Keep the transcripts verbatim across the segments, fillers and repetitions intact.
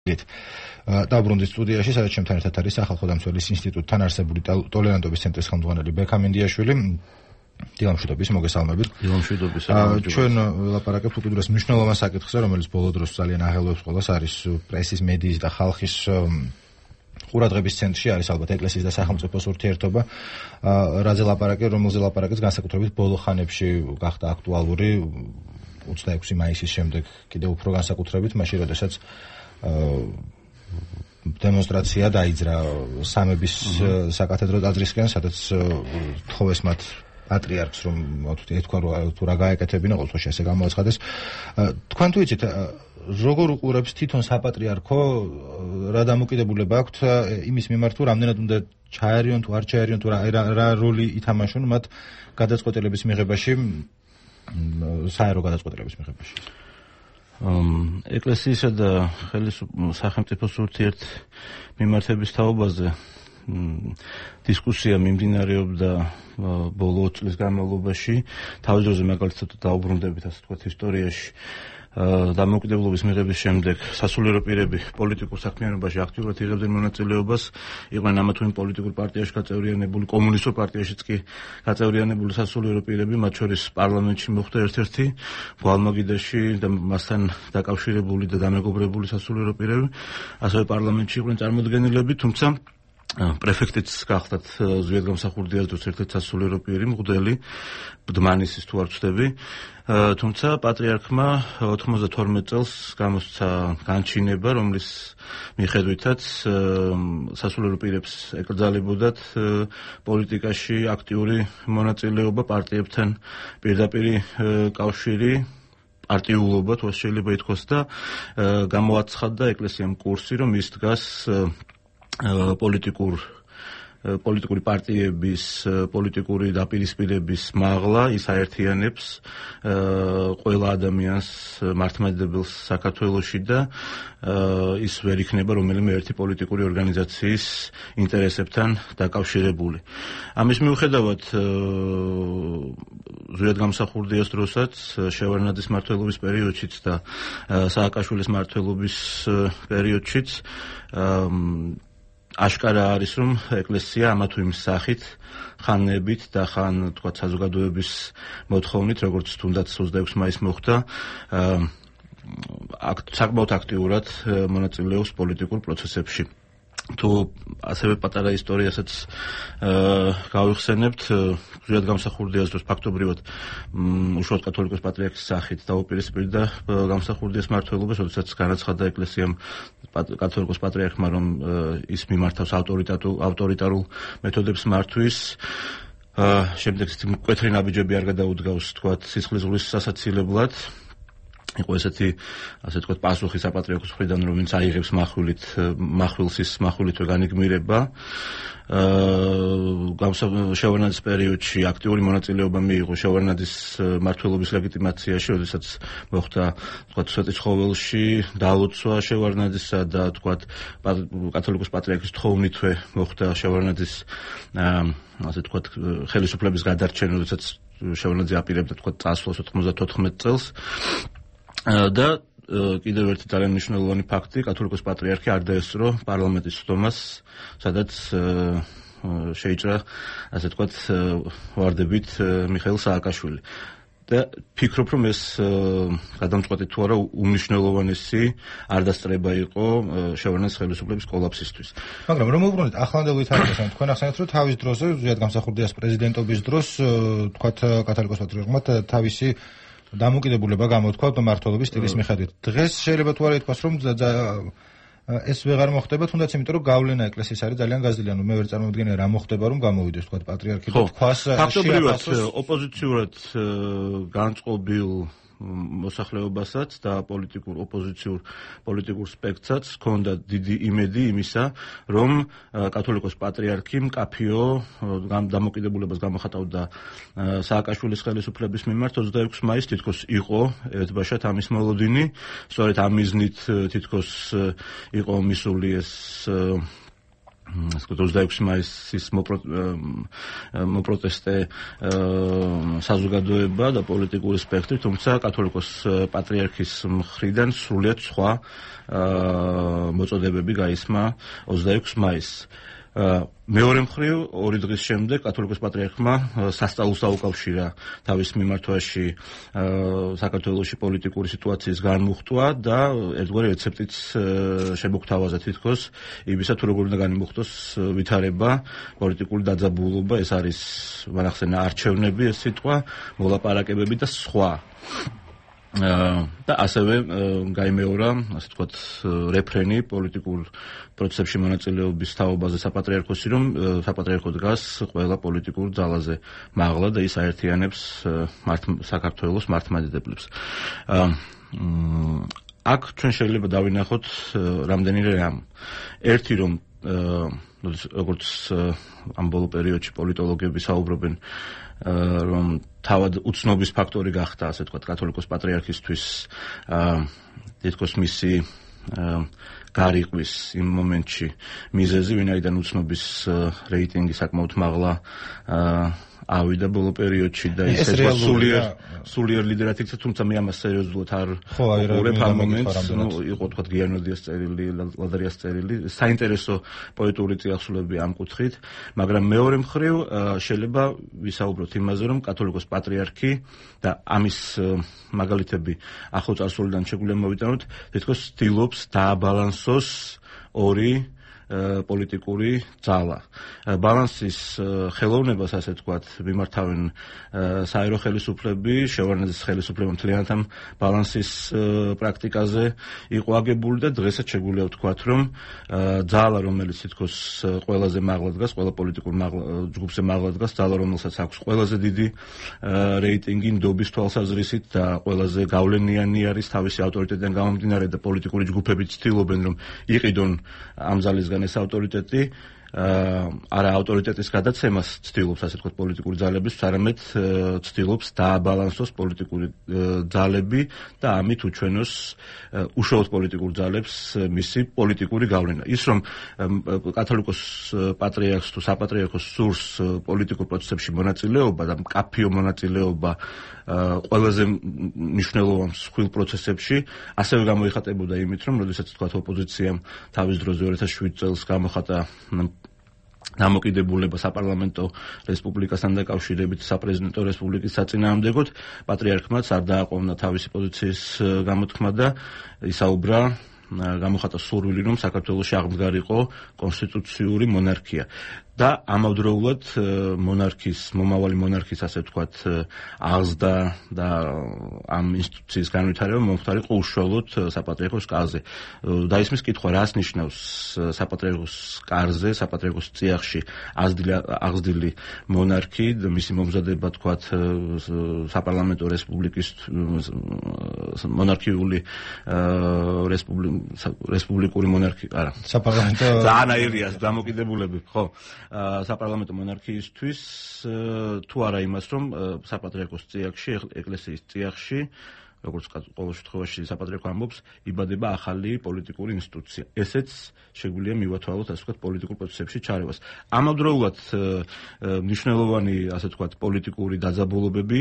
დაბრუნდით სტუდიაში, სადაც ჩემთან ერთად არის სახალხო დამცველის ინსტიტუტთან არსებული ტოლერანტობის ცენტრის ხელმძღვანელი ბექა მინდიაშვილი. დილამშვიდობის, მოგესალმებით. დილამშვიდობის. ჩვენ ვლაპარაკებთ უკიდურეს მნიშვნელოვან საკითხზე, რომელიც ბოლო დროს ძალიან აღელვებს ყველას, არის პრესის, მედიის და ხალხის ყურადღების ცენტრში, არის ალბათ ეკლესიის და სახელმწიფოს ურთიერთობა. რაზე ლაპარაკი, რომელზე ლაპარაკიც განსაკუთრებით ბოლო ხანებში გახდა აქტუალური ოცდაექვსი მაისის შემდეგ, კიდევ უფრო განსაკუთრებით, მაშინ როდესაც დემონსტრაცია დაიძრა სამების საკათედრო ტაძრისკენ, სადაც თხოვეს მათ პატრიარქს, რომ ეთქვა თუ რა გაეკეთებინა, ყოველ შემთხვევაში ესე გამოაცხადეს. თქვენ თუ იცით, როგორ უყურებს თვითონ საპატრიარქო, რა დამოკიდებულება აქვთ იმის მიმართ, თუ რამდენად უნდა ჩაერიონ, თუ არ ჩაერიონ, თუ რა როლი ითამაშონ მათ გადაწყვეტილების მიღებაში, საერო გადაწყვეტილების მიღებაში? ეკლესიისა და სახელმწიფოს ურთიერთმიმართების თაობაზე დისკუსია მიმდინარეობდა ბოლო ოც წლის განმავლობაში. თავის დროზე მაგალითად დაუბრუნდებით, ასე ვთქვათ, ისტორიაში დამოუკიდებლობის მიღების შემდეგ სასულიერო პირები პოლიტიკურ საქმიანობაში აქტიურად იღებდნენ მონაწილეობას, იყვნენ ამა თუ იმ პოლიტიკურ პარტიაში გაწევრიანებული, კომუნისტურ პარტიაშიც კი გაწევრიანებული სასულიერო პირები, მათ შორის პარლამენტში მოხვდა ერთ-ერთი გვალმაგიდაში და მასთან დაკავშირებული და დამეგობრებული სასულიერო პირები, ასევე პარლამენტში იყვნენ წარმოდგენილები, თუმცა პრეფექტიც გახდათ ზვიადგამსახურდიას დროს ერთ-ერთი სასულიერო პირი, მღვდელი, ბდმანისის თუ არ ვცდები, თუმცა პატრიარქმა ოთხმოცდათორმეტ წელს გამოსცა განჩინება, რომლის მიხედვითაც სასულიერო პირებს ეკრძალებოდათ პოლიტიკაში აქტიური მონაწილეობა, პარტიებთან პირდაპირ კავშირი, პარტიულობა, თუ შეიძლება ითქვას, და გამოაცხადდა ეკლესიამ კურსი, რომ ის დგას პოლიტიკურ პოლიტიკური პარტიების, პოლიტიკური დაპირისპირების მაღლა, ის აერთიანებს ყველა ადამიანს მართლმადიდებელს საქართველოში და ის ვერ იქნება რომელიმე ერთი პოლიტიკური ორგანიზაციის ინტერესებთან დაკავშირებული. ამის მიუხედავად ზვიადგამსახურდიას დროსაც, შევარდნაძის მმართველობის პერიოდშიც და სააკაშვილის მმართველობის პერიოდშიც აშკარა არის, რომ ეკლესია ამა თუ იმ სახით, ხანებით და ხან თქვათ საზოგადოების მოთხოვნით, როგორც თუნდაც ოცდაექვსი მაისს მოხდა, საკმაოდ აქტიურად მონაწილეობს პოლიტიკურ პროცესებში. თუ ასევე პატარა ისტორიასაც გავიხსენებთ, ზვიადგამსახურდიას დროს ფაქტობრივად უშუალოდ კათოლიკოს პატრიარქის სახით დაუპირისპირდა გამსახურდიას მმართველობას, როდესაც განაცხადა ეკლესიამ კათოლიკოს პატრიარქმა, რომ ის მიმართავს ავტორიტარულ მეთოდებს მართვის. შემდეგ მკვეთრი ნაბიჯები არ გადაუდგავს, თქვათ, სისხლის ზღვის სასაცილებლად. იყო ესეთი, ასე ვთქვათ, პასუხი საპატრიარქოს მხრიდან, რომელიც აიღებს מחვილით, מחვილს ის מחვილითვე განიგმირება. შევარდნაძის პერიოდში აქტიური მონაწილეობა მიიღო შევარდნაძის მმართველობის ლეგიტიმაციაში, როდესაც მოხდა, თქვათ, სვეტიცხოველში დალოცვა შევარდნაძისა და, თქვათ, კათოლიკოს პატრიარქის თხოვნითვე მოხდა შევარდნაძის, ასე ვთქვათ, ხელისუფლების გადარჩენა, როდესაც შევარდნაძე აპირებდა, თქვათ, წასვლას ოთხმოცდათოთხმეტ წელს. და კიდევ ერთი ძალიან მნიშვნელოვანი ფაქტი, კათოლიკოს პატრიარქი არ დაესწრო პარლამენტის სხდომას, სადაც შეიჭრა, ასე ვთქვათ, ვარდებით მიხეილ სააკაშვილი. და ფიქრობ, რომ ეს გადამწყვეტი თუ არა უმნიშვნელოვანესი არდასწრება იყო შევარდნაძის ხელისუფლების კოლაფსისთვის. მაგრამ რომ უბრუნდეთ ახლანდელ ვითარებასთან, თქვენ ახსენეთ, რომ თავის დროზე ზვიადგამსახურდიას პრეზიდენტობის დროს, თქვათ, კათოლიკოს პატრიარქმა თავისი დამოკიდებულება გამოთქვა მმართველობის სტილის მიხედვით. დღეს შეიძლება თუ არა ითქვას, რომ ეს ვეღარ მოხდება, თუნდაც იმიტომ, რომ გავლენა ეკლესიის არის ძალიან გაზრდილი. ანუ მე ვერ წარმოვიდგენია რა მოხდება, რომ გამოვიდეს, თქვათ, პატრიარქი და თქვას ფაქტობრივად ოპოზიციურად განწყობილ მოსახლეობასაც და პოლიტიკურ ოპოზიციურ პოლიტიკურ სპექტრსაც ჰქონდა დიდი იმედი იმისა, რომ კათოლიკოს პატრიარქი მკაფიო დამოკიდებულებას გამოხატავდა სააკაშვილის ხელისუფლების მიმართ. ოცდაექვსი მაისს თითქოს იყო ერთბაშად ამის მოლოდინი, სწორედ ამ მიზნით თითქოს იყო მისული ეს ოცდაექვსი მაისის მოპროტესტე საზოგადოება და პოლიტიკური სპექტრი, თუმცა კათოლიკოს პატრიარქის მხრიდან სრულიად სხვა მოწოდებები გაისმა ოცდაექვსი მაისს. მეორე მხრივ, ორი დღის შემდეგ კათოლიკოს პატრიარქმა სასწაულს აუკავშირა თავის მიმართვაში საქართველოში პოლიტიკური სიტუაციის განმუხტვა და ერთგვარი რეცეპტიც შემოგთავაზა თითქოს იმისა, თუ როგორ უნდა განიმუხტოს ვითარება, პოლიტიკური დაძაბულობა, ეს არის მანახსენა არჩევნები, ეს სიტყვა, მოლაპარაკებები და სხვა. და ასევე გაიმეორა, ასე ვთქვათ, რეფრენი პოლიტიკურ პროცესებში მონაწილეობის თაობაზე საპატრიარქოსი, რომ საპატრიარქო დგას ყველა პოლიტიკურ ძალაზე მაღლა და ის აერთიანებს საქართველოს მართლმადიდებლებს. აქ ჩვენ შეიძლება დავინახოთ რამდენიმე რამ. ერთი, რომ როგორც ამ ბოლო პერიოდში პოლიტოლოგები საუბრობენ, რომ თავად უცნობის ფაქტორი გახდა, ასე ვთქვათ, კათოლიკოს პატრიარქისთვის თითქოს მისი გარიყვის იმ მომენტში მიზეზი, ვინაიდან უცნობის რეიტინგი საკმაოდ მაღლა ავიდა ბოლო პერიოდში და ის სულიერ სულიერ ლიდერად იქცა, თუმცა მე ამას სერიოზულად არ ვუყურებ ამ მომენტს, ნუ იყო თქვა გიანოდიას წერილი, ლადარიას წერილი, საინტერესო პოეტური წიაღსულები ამ კუთხით, მაგრამ მეორე მხრივ შეიძლება ვისაუბროთ იმაზე, რომ კათოლიკოს პატრიარქი და ამის მაგალითები ახლოწარსულიდან შეგვიძლია მოვიტანოთ, თითქოს ცდილობს დააბალანსოს ორი პოლიტიკური ძალა. ბალანსის ხელოვნებას, ასე ვთქვათ, მიმართავენ საერო ხელისუფლები, შევარდნაძის ხელისუფლება მთლიანად ამ ბალანსის პრაქტიკაზე იყო აგებული და დღესაც შეგვიძლია ვთქვათ, რომ ძალა, რომელიც თითქოს ყველაზე მაღლა დგას, ყველა პოლიტიკურ ჯგუფზე მაღლა დგას, ძალა, რომელსაც აქვს ყველაზე დიდი რეიტინგი ნდობის თვალსაზრისით და ყველაზე გავლენიანი არის თავისი ავტორიტეტიდან გამომდინარე და პოლიტიკური ჯგუფები ცდილობენ, რომ იყიდონ ამ ძალისგან ეს ავტორიტეტი, არა ავტორიტეტის გადაცემას ცდილობს, ასე ვთქვათ, პოლიტიკური ძალების, არამედ ცდილობს დააბალანსოს პოლიტიკური ძალები და ამით უჩვენოს უშუალოდ პოლიტიკურ ძალებს მისი პოლიტიკური გავლენა. ის რომ კათოლიკოს პატრიარქს თუ საპატრიარქოს სურს პოლიტიკურ პროცესებში მონაწილეობა და მკაფიო მონაწილეობა ყველაზე მნიშვნელოვან მსხვილ პროცესებში, ასევე გამოიხატებოდა იმით, რომ როდესაც თქვათ ოპოზიციამ თავის დროზე ორი ათას შვიდ წელს გამოხატა დამოკიდებულება საპარლამენტო რესპუბლიკასთან დაკავშირებით საპრეზიდენტო რესპუბლიკის საწინააღმდეგოდ, პატრიარქმაც არ დააყოვნა თავისი პოზიციის გამოთქმა და ისაუბრა, გამოხატა სურვილი, რომ საქართველოში აღმდგარიყო კონსტიტუციური მონარქია. და ამავდროულად მონარქის, მომავალი მონარქის, ასე ვთქვათ, აღზრდა და ამ ინსტიტუციის განვითარება მომხდარიყო უშუალოდ საპატრიარქოს კარზე. დაისმის კითხვა, რას ნიშნავს საპატრიარქოს კარზე, საპატრიარქოს წიაღში აღზრდილი მონარქი და მისი მომზადება, თქვათ, საპარლამენტო რესპუბლიკის მონარქიული რესპუბლიკური მონარქი, არა. საპარლამენტო ზანაირიას დამოკიდებულები, ხო? საპარლამენტო მონარქიისთვის თუ არა იმას, რომ საპატრიარქოს წიაღში, ეკლესიის წიაღში, როგორც ყოველ შემთხვევაში საპატრიარქო ამბობს, იბადება ახალი პოლიტიკური ინსტიტუცია. ესეც შეგვიძლია მივათვალოთ, ასე ვთქვათ, პოლიტიკურ პროცესებში ჩარევას. ამავდროულად მნიშვნელოვანი, ასე ვთქვათ, პოლიტიკური დაძაბულობები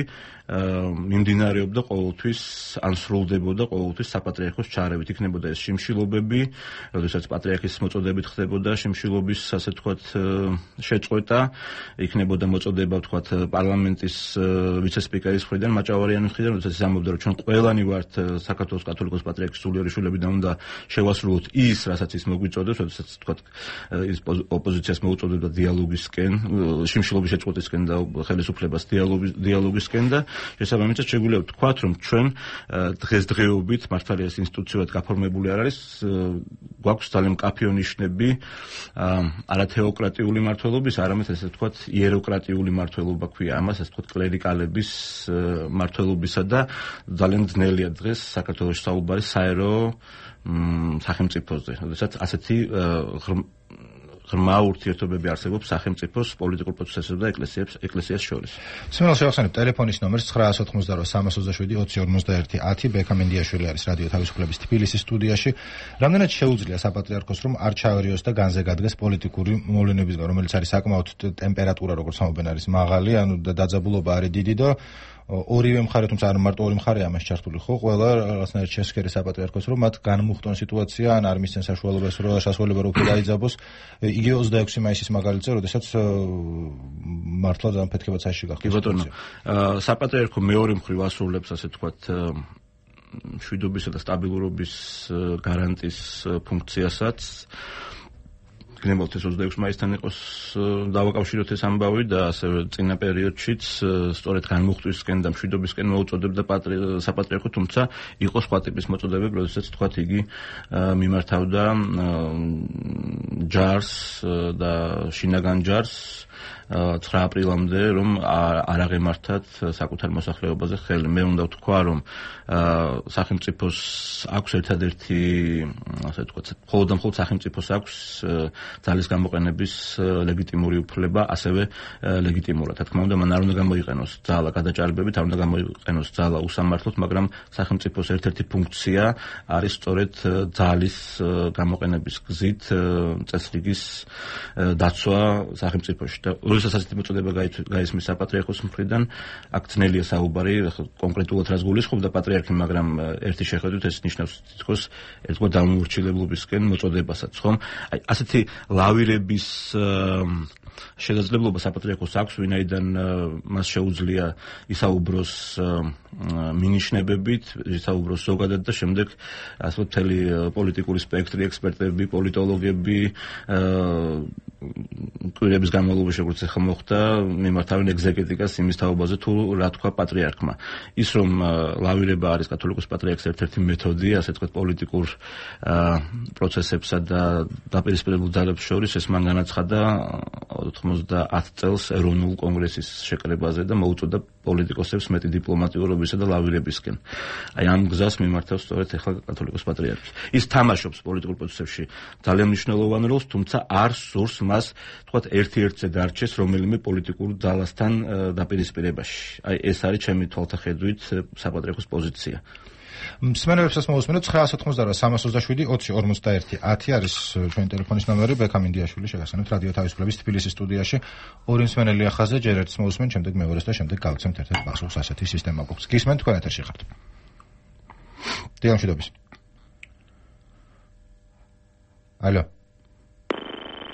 მიმდინარეობდა ყოველთვის, ან სრულდებოდა ყოველთვის საპატრიარქოს ჩარევით. იქნებოდა ეს შიმშილობები, როდესაც პატრიარქის მოწოდებით ხდებოდა შიმშილობის, ასე ვთქვათ, შეწყვეტა, იქნებოდა მოწოდება, ვთქვათ, პარლამენტის ვიცე-სპიკერის მხრიდან, მაჭავარიანის მხრიდან, როდესაც ის ამბობდა, რომ ჩვენ ყველანი ვართ საქართველოს კათოლიკოს პატრიარქის სულიერი შვილები და უნდა შევასრულოთ ის, რასაც ის მოგვიწოდებს, როდესაც თქვათ ის ოპოზიციას მოუწოდებდა დიალოგისკენ, შიმშილობის შეწყვეტისკენ და ხელისუფლებას დიალოგისკენ და შესაბამისად შეგვიძლია ვთქვათ, რომ ჩვენ დღესდღეობით მართალია ეს ინსტიტუციურად გაფორმებული არ არის, გვაქვს ძალიან მკაფიო ნიშნები არა თეოკრატიული მმართველობის, არამედ ესე ვთქვათ იეროკრატიული მმართველობა ქვია ამას, ესე ვთქვათ კლერიკალების მმართველობისა და ძალიან ძნელია დღეს საქართველოს საუბარი საერო სახელმწიფოზე, როდესაც ასეთი ღრმა ურთიერთობები არსებობს სახელმწიფოს პოლიტიკურ პროცესებსა და ეკლესიებს ეკლესიას შორის. სმენელს შევახსენებ ტელეფონის ნომერს nine eight nine zero three three seven twenty forty-one ათი ბექამენდიაშვილი არის რადიო თავისუფლების თბილისის სტუდიაში. რამდენად შეუძლია საპატრიარქოს რომ არ ჩაერიოს და განზე გადგეს პოლიტიკური მოვლენებისგან, რომელიც არის საკმაოდ ტემპერატურა როგორც ამობენ არის მაღალი, ანუ დაძაბულობა არის დიდი და ორივე მხარე, თუმცა არ მარტო ორი მხარე ამას ჩართული ხო, ყველა რაღაცნაირად შესქერი საპატრიარქოს რომ მათ განმუხტონ სიტუაცია, ან არ მისცენ საშუალებას რომ შესაძლებლობა რომ დაიძაბოს. იგივე ოცდაექვსი მაისის მაგალითზე, როდესაც მართლა ძალიან ფეთქება წაში გახდა. კი ბატონო, საპატრიარქო მეორე მხრივ ასრულებს, ასე ვთქვათ, მშვიდობისა და სტაბილურობის გარანტის ფუნქციასაც. გნებავთ ეს ოცდაექვსი მაისთან იყოს დავაკავშიროთ ეს ამბავი და ასევე წინა პერიოდშიც სწორედ განმუხტვისკენ და მშვიდობისკენ მოუწოდებდა საპატრიარქო, თუმცა იყო სხვა ტიპის მოწოდებები, როდესაც თქვათ იგი მიმართავდა ჯარს და შინაგან ჯარს ცხრა აპრილამდე რომ არ აღემართათ საკუთარ მოსახლეობაზე ხელი. მე უნდა ვთქვა რომ სახელმწიფოს აქვს ერთადერთი ასე ვთქვათ მხოლოდ და მხოლოდ სახელმწიფოს აქვს ძალის გამოყენების ლეგიტიმური უფლება, ასევე ლეგიტიმურად. რა თქმა უნდა, მან არ უნდა გამოიყენოს ძალა გადაჭარბებით, არ უნდა გამოიყენოს ძალა უსამართლოდ, მაგრამ სახელმწიფოს ერთ-ერთი ფუნქცია არის სწორედ ძალის გამოყენების გზით წესრიგის დაცვა სახელმწიფოში. და როდესაც ასეთი მოწოდება გაისმის საპატრიარქოს მხრიდან, აქ ძნელია საუბარი კონკრეტულად რას გულისხმობდა პატრიარქი, მაგრამ ერთი შეხედვით ეს ნიშნავს თითქოს ერთგვარ დამოუკიდებლობისკენ მოწოდებასაც, ხომ? აი ასეთი ლავირების შესაძლებლობა საპატრიარქოს აქვს, ვინაიდან მას შეუძლია ისაუბროს მინიშნებებით, ისაუბროს ზოგადად და შემდეგ ასე მთელი პოლიტიკური სპექტრი, ექსპერტები, პოლიტოლოგები კვირების განმავლობაში როგორც ახლა მოხდა, მიმართავენ ეგზეგეტიკას იმის თაობაზე თუ რა თქვა პატრიარქმა. ის რომ ლავირება არის კათოლიკოს პატრიარქის ერთ-ერთი მეთოდი, ასე ვთქვათ, პოლიტიკურ პროცესებსა და დაპირისპირებულ ძალებს შორის, ეს მან განაცხადა ოცდაათ წელს ეროვნულ კონგრესის შეკრებაზე და მოუწოდა პოლიტიკოსებს მეტი დიპლომატიურობისა და ლავირებისკენ. აი ამ გზას მიმართავს სწორედ ახლა კათოლიკოს პატრიარქი. ის თამაშობს პოლიტიკურ პროცესებში ძალიან მნიშვნელოვან როლს, თუმცა არ სურს მას, თქვათ, ერთ-ერთზე დარჩეს რომელიმე პოლიტიკურ ძალასთან დაპირისპირებაში. აი ეს არის ჩემი თვალთახედვით საპატრიარქოს პოზიცია. მსმენელებსაც მოусმენთ nine eight nine zero three three seven twenty forty-one ათი არის ჩვენი ტელეფონის ნომერი, ბექამენდიაშვილი შეგახსენებთ რადიო თავისუფლების თბილისის სტუდიაში. ორი მსმენელი ახაზე, ჯერ ერთს მოусმენთ, შემდეგ მეორეს და შემდეგ გავცემთ ერთ-ერთ პასუხს, ასეთი სისტემა გვაქვს. გისმენთ, თქვენ ეთერში ხართ. დიახ, მშვიდობის. ალო.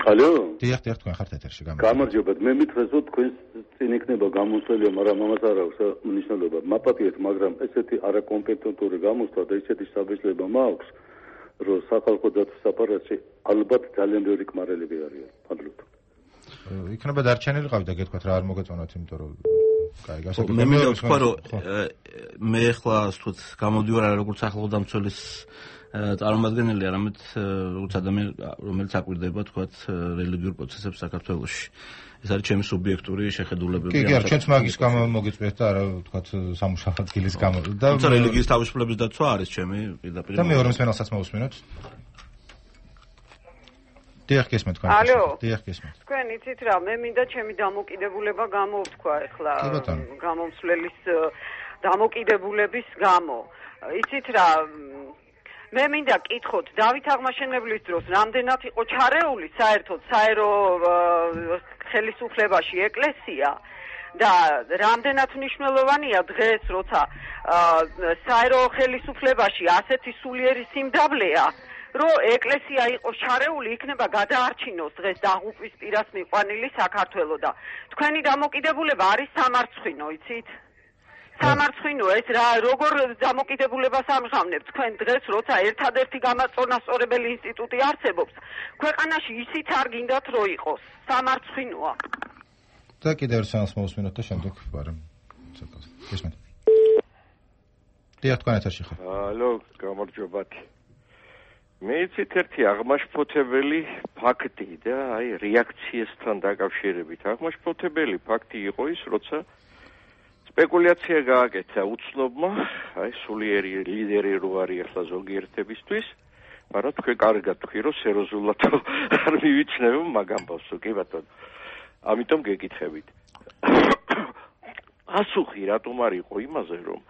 ალო. დიახ, დიახ, თქვენ ხართ ეთერში. გამარჯობა. მე მითხრეს რომ თქვენ წინ იქნება გამოსვლელი, მაგრამ ამას არ აქვს მნიშვნელობა. მაპატიეთ, მაგრამ ესეთი არაკომპეტენტური გამოსვლა და ესეთი საბეჭდება მაქვს, რომ სახალხო დაცვის აპარატში ალბათ ძალიან ბევრი კმარელები არიან. ფადლობთ. იქნება დარჩენილი ყავი და გეტყვით რა არ მოგეწონათ, იმიტომ რომ კაი, გასაგებია. მე მინდა ვთქვა, რომ მე ახლა ვთქვით, გამოდივარ არა როგორც სახალხო დამცველის წარმომადგენელი, არამედ როგორც ადამიანი, რომელიც აკვირდება, თქვათ, რელიგიურ პროცესებს საქართველოში. ეს არის ჩემი სუბიექტური შეხედულებები. კი, კი, ჩვენც მაგის გამო მოგიწვიეთ და არა, თქვათ, სამუშაო ადგილის გამო. და თუმცა რელიგიის თავისუფლების დაცვა არის ჩემი პირდაპირ. და მეორე მსმენელსაც მოусმენოთ. დიახ, გესმენთ თქვენ. ალო. დიახ, გესმენთ. თქვენ იცით რა, მე მინდა ჩემი დამოკიდებულება გამოვთქვა ახლა გამომსვლელის დამოკიდებულების გამო. იცით რა, მე მინდა კითხოთ, დავით აღმაშენებლის დროს რამდენად იყო ჩარეული საერთოდ საერო ხელისუფლებაში ეკლესია და რამდენად მნიშვნელოვანია დღეს, როცა საერო ხელისუფლებაში ასეთი სულიერი სიმდაბლეა, რომ ეკლესია იყოს ჩარეული, იქნება გადაარჩინოს დღეს დაღუპვის პირას მიყვანილი საქართველო და თქვენი დამოკიდებულება არის სამარცხვინო, იცით? სამარცხვინო ეს რა როგორ დამოკიდებულებას ამჟღავნებთ თქვენ დღეს, როცა ერთადერთი გამაწონასწორებელი ინსტიტუტი არსებობს ქვეყანაში, ისიც არ გინდათ რომ იყოს სამარცხვინოა. და კიდევ ერთ მოусმენოთ და შემდეგ ვარემ ცოტა. გესმენთ. დიახ, თქვენ ეთერში ხართ. ალო, გამარჯობათ. მე იცით ერთი აღმაშფოთებელი ფაქტი და აი რეაქციასთან დაკავშირებით. აღმაშფოთებელი ფაქტი იყო ის, როცა სპეკულაცია გააკეთა უცნობმა, აი სულიერი ლიდერი რო არის ახლა ზოგიერთებისთვის, მაგრამ თქვენ კარგად თქვი რომ სერიოზულად არ მივიჩნევ მაგ ამბავსო, კი ბატონო. ამიტომ გეკითხებით. ასუხი რატომ არ იყო იმაზე რომ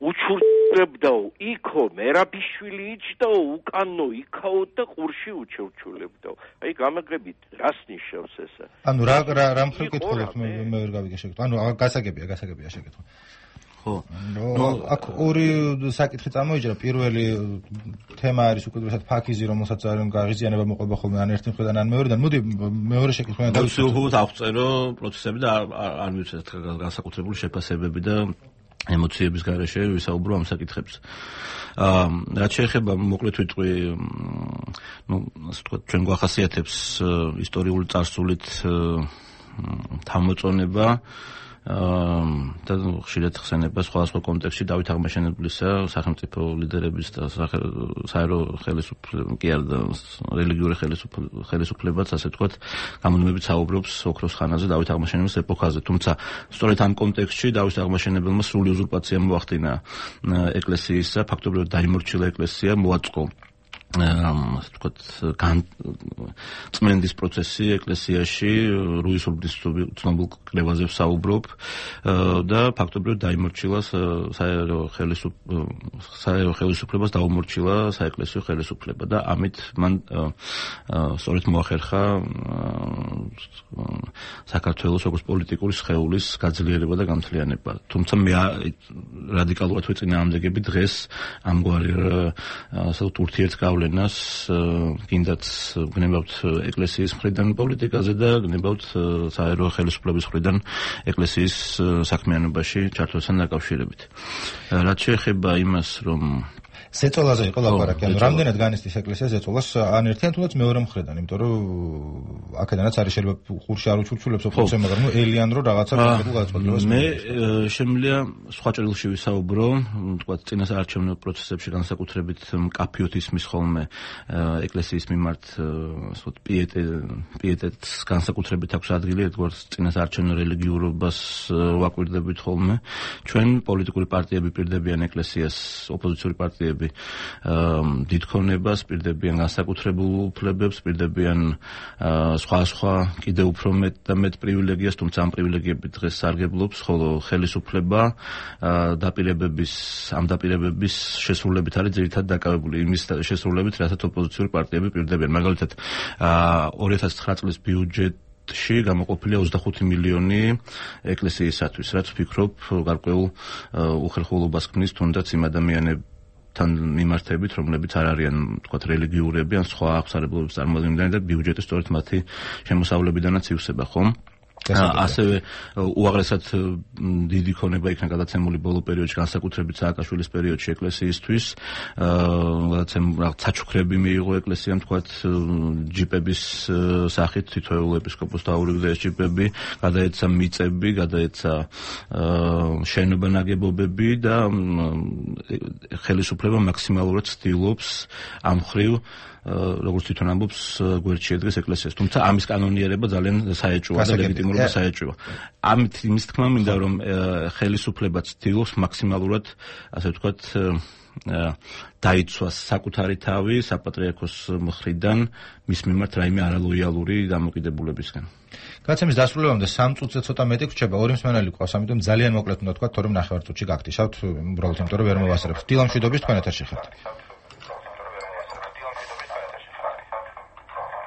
უჩურჩლებდაო იქო მერაბიშვილი იჯდაო უკანო იქაო და ყურში უჩურჩულებდაო. აი გამაგრებით რას ნიშნავს ესა? ანუ რა რა მხრივ კითხულობთ მე მე ვერ გავიგე შეკითხვა. ანუ გასაგებია, გასაგებია შეკითხვა. ხო. ნუ აქ ორი საკითხი წამოიჭრა. პირველი თემა არის უკიდურესად ფაქიზი, რომელსაც არ გაღიზიანება მოყვება ხოლმე ან ერთი მხრიდან ან მეორედან. მოდი მეორე შეკითხვიდან დავიწყოთ. უბრალოდ აღწერო პროცესები და არ მივცეთ განსაკუთრებული შეფასებები და ემოციების გარეშე ვისაუბრო ამ საკითხებს. აა რაც შეეხება მოკლედ ვიტყვი, ნუ ასე ვთქვათ, ჩვენ გვახასიათებს ისტორიული წარსულით თავმოწონება და ხშირად ხსენება სხვადასხვა კონტექსტში დავით აღმაშენებლისა სახელმწიფო ლიდერების და საერო ხელისუფლების კი არა რელიგიური ხელისუფლებაც ასე ვთქვათ გამუდმებით საუბრობს ოქროს ხანაზე დავით აღმაშენებლის ეპოქაზე, თუმცა სწორედ ამ კონტექსტში დავით აღმაშენებელმა სრული უზურპაცია მოახდინა ეკლესიისა, ფაქტობრივად დაიმორჩილა ეკლესია, მოაწყო ასე ვთქვათ წმენდის პროცესი ეკლესიაში, რუისუბნის ცნობილ კრებაზე ვსაუბრობ და ფაქტობრივად დაიმორჩილა საერო საერო ხელისუფლებას დაუმორჩილა საეკლესიო ხელისუფლება და ამით მან სწორედ მოახერხა საქართველოს როგორც პოლიტიკური სხეულის გაძლიერება და გამთლიანება. თუმცა მე რადიკალურად ვეწინააღმდეგები დღეს ამგვარი ასე ურთიერთგავლენას ნას კიდაც გნებავთ ეკლესიის მხრიდან პოლიტიკაზე და გნებავთ საერო ხელისუფლების მხრიდან ეკლესიის საქმიანობაში ჩართვასთან დაკავშირებით. რაც შეეხება იმას, რომ ზეწოლაზე იყო ლაპარაკი, ანუ რამდენად განიცდის ეკლესია ზეწოლას ან ერთიან თუნდაც მეორე მხრიდან, იმიტომ რომ აქედანაც არის შეიძლება ყურში არ უჩურჩულებს ოფიციალურად, მაგრამ ნუ ელიან რომ რაღაცა კონკრეტულ გადაწყვეტილებას მე შემიძლია სხვა ჭრილში ვისაუბრო, თქვა წინასაარჩევნო პროცესებში განსაკუთრებით მკაფიოდ ისმის ხოლმე ეკლესიის მიმართ ასე პიეტე პიეტეტს განსაკუთრებით აქვს ადგილი, როგორც წინასაარჩევნო რელიგიურობას ვაკვირდებით ხოლმე. ჩვენ პოლიტიკური პარტიები პირდებიან ეკლესიას, ოპოზიციური პარტიები დიდქონებას, პირდებიან განსაკუთრებულ უფლებებს, პირდებიან სხვა სხვა კიდევ უფრო მეტ და მეტ პრივილეგიას, თუმცა ამ პრივილეგიები დღეს სარგებლობს, ხოლო ხელისუფლება დაპირებების ამ დაპირებების შესრულებით არის ძირითადად დაკავებული იმის შესრულებით, რასაც ოპოზიციური პარტიები პირდებიან. მაგალითად ორი ათას ცხრა წლის ბიუჯეტში გამოყოფილია ოცდახუთი მილიონი ეკლესიისათვის, რაც ვფიქრობ გარკვეულ უხერხულობას ქმნის თუნდაც იმ ადამიანებს თან მიმართებით, რომლებიც არ არიან, თქვათ, რელიგიურები ან სხვა აღმსარებლობის წარმოადგენლები და ბიუჯეტი სწორედ მათი შემოსავლებიდანაც ივსება, ხო? ასევე უაღრესად დიდი ქონება იქნა გადაცემული ბოლო პერიოდში, განსაკუთრებით სააკაშვილის პერიოდში ეკლესიისთვის. რაღაც საჩუქრები მიიღო ეკლესიამ, თქვათ, ჯიპების სახით თითოეულ ეპისკოპოსს დაურიგდა ეს ჯიპები, გადაეცა მიწები, გადაეცა შენობა ნაგებობები და ხელისუფლება მაქსიმალურად ცდილობს ამ მხრივ როგორც თვითონ ამბობს გვერდში ედგეს ეკლესიას. თუმცა ამის კანონიერება ძალიან საეჭვოა და ლეგიტიმურობა საეჭვოა. ამით იმის თქმა მინდა რომ ხელისუფლება ცდილობს მაქსიმალურად ასე ვთქვათ დაიცვას საკუთარი თავი საპატრიარქოს მხრიდან მის მიმართ რაიმე არალოიალური დამოკიდებულებისგან. გადაცემის დასრულებამდე სამ წუთზე ცოტა მეტი გრჩება, ორი მსმენელი გვყავს, ამიტომ ძალიან მოკლედ უნდა თქვა, თორემ ნახევარ წუთში გაგტიშავთ, უბრალოდ იმიტომ რომ ვერ მოვასწრებთ. დილა მშვიდობის თქვენ ეთერში ხართ.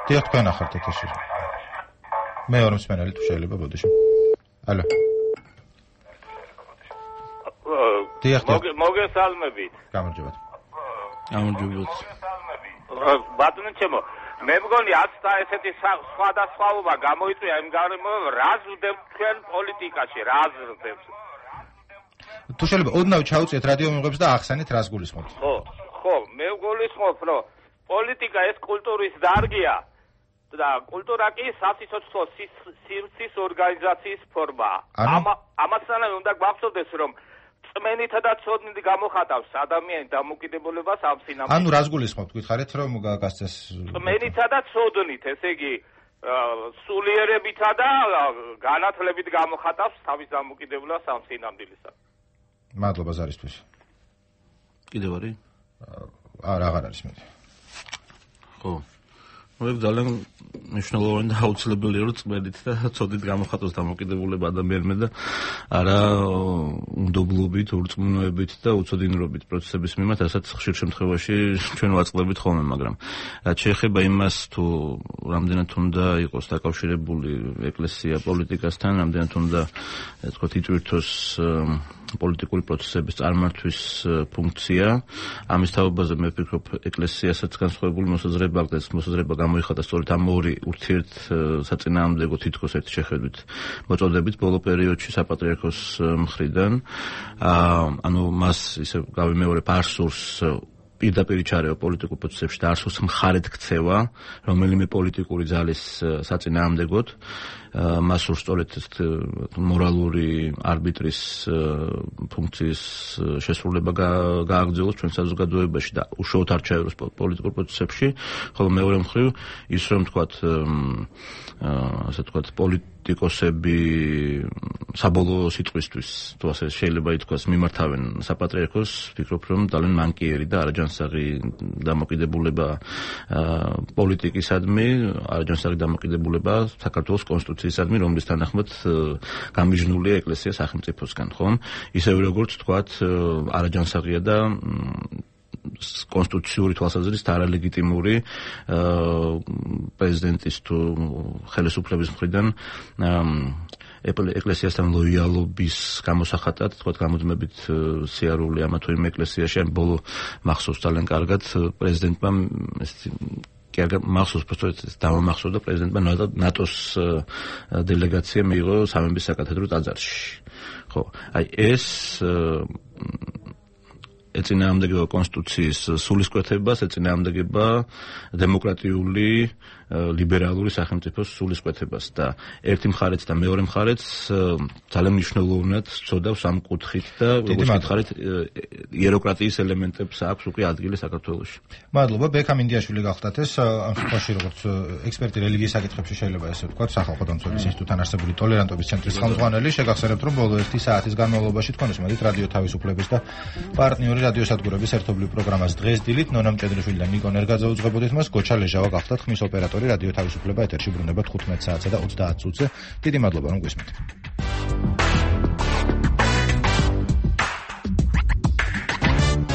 დიახ, თქვენ ახართ ეთერში. მეორე მსმენელი თუ შეიძლება ბოდიში. ალო. დიახ, მოგესალმებით. გამარჯობათ. გამარჯობათ. ბატონო ჩემო, მე მგონი აცთა ესეთი სხვადასხვაობა გამოიწვია იმ გარემო, რა ზრდებს თქვენ პოლიტიკაში, რა ზრდებს. თუ შეიძლება ოდნავ ჩაუწიეთ რადიო მიღებს და ახსენით რას გულისხმობთ. ხო, ხო, მე გულისხმობ, რომ პოლიტიკა ეს კულტურის დარგია. და კულტურა კი სასიცოცხლო სივრცის ორგანიზაციის ფორმაა. ამასთანავე უნდა გვახსოვდეს, რომ წმენითა და ცოდნით გამოხატავს ადამიანის დამოკიდებულებას ამ სინამდვილეში. ანუ რას გულისხმობთ, გითხარით რომ გასცეს წმენითა და ცოდნით, ესე იგი სულიერებითა და განათლებით გამოხატავს თავის დამოკიდებულებას ამ სინამდვილეში. მადლობა ზარისთვის. კიდევ არის? არა, აღარ არის მე. ხო. მოიგ ძალიან მნიშვნელოვანი და აუცილებელია რომ წმედით და ცოდით გამოხატოს დამოკიდებულება ადამიანმა და არა უნდობლობით, ურწმუნოებით და უცოდინრობით პროცესების მიმართ, რასაც ხშირ შემთხვევაში ჩვენ ვაწყლებით ხოლმე, მაგრამ რაც შეეხება იმას თუ რამდენად უნდა იყოს დაკავშირებული ეკლესია პოლიტიკასთან, რამდენად უნდა ასე ვთქვათ იწვირთოს პოლიტიკური პროცესების წარმართვის ფუნქცია, ამის თაობაზე მე ვფიქრობ ეკლესიასაც განსხვავებული მოსაზრება აქვს, მოსაზრება გამოიხადა სწორედ ამ ორი ურთიერთ საწინააღმდეგო თითქოს ერთ შეხედვით მოწოდებით ბოლო პერიოდში საპატრიარქოს მხრიდან. ანუ მას ისე გავიმეორებ არ სურს პირდაპირ ჩარევა პოლიტიკურ პროცესებში და არ სურს მხარეთ ქცევა რომელიმე პოლიტიკური ძალის საწინააღმდეგოდ. მას სურს სწორედ მორალური არბიტრის ფუნქციის შესრულება გააგრძელოს ჩვენ საზოგადოებაში და უშუალოდ არ ჩაეროს პოლიტიკურ პროცესებში, ხოლო მეორე მხრივ ის რომ თქვათ ასე თქვათ პოლიტიკოსები საბოლოო სიტყვისთვის თუ ასე შეიძლება ითქვას მიმართავენ საპატრიარქოს, ვფიქრობ რომ ძალიან მანკიერი და არაჯანსაღი დამოკიდებულება პოლიტიკისადმი, არაჯანსაღი დამოკიდებულება საქართველოს კონსტიტუციისადმი, რომლის თანახმად გამიჯნულია ეკლესია სახელმწიფოსგან, ხომ? ისევე როგორც თქვათ არაჯანსაღია და კონსტიტუციური თვალსაზრისით არალეგიტიმური პრეზიდენტის თუ ხელისუფლების მხრიდან ეკლესიასთან ლოიალობის გამოსახატად, თქვათ გამუდმებით სიარული ამა თუ იმ ეკლესიაში, ან ბოლო მახსოვს ძალიან კარგად პრეზიდენტმა კი არ მახსოვს პროცესს დამამახსოვდა პრეზიდენტმა ნატოს დელეგაცია მიიღო სამების საკათედრო ტაძარში. ხო, აი ეს ეწინააღმდეგება კონსტიტუციის სულისკვეთებას, ეწინააღმდეგება დემოკრატიული ლიბერალური სახელმწიფოს სულისკვეთებას და ერთი მხარეც და მეორე მხარეც ძალიან მნიშვნელოვნად წოდავს ამ კუთხით და როგორც გითხარით იეროკრატიის ელემენტებს აქვს უკვე ადგილი საქართველოში. მადლობა. ბექამ ინდიაშვილი გახდათ ეს ამ შემთხვევაში როგორც ექსპერტი რელიგიის საკითხებში შეიძლება ესე ვთქვათ სახალხო დამცველის ინსტიტუტთან არსებული ტოლერანტობის ცენტრის ხელმძღვანელი, შეგახსენებთ რომ ბოლო ერთი საათის განმავლობაში თქვენ უსმენთ რადიო თავისუფლების და პარტნიორი რადიოსადგურების ერთობლივ პროგრამას დღეს დილით ნონა მჭედრიშვილი და ნიკო ნერგაძე უძღვებოდით მას, გოჩა ლეჟავა გახდათ ხმის ოპერატორი რადიო თავისუფლება ეთერში ბრუნდება თხუთმეტ საათსა და ოცდაათ წუთზე. დიდი მადლობა რომ გვისმენთ.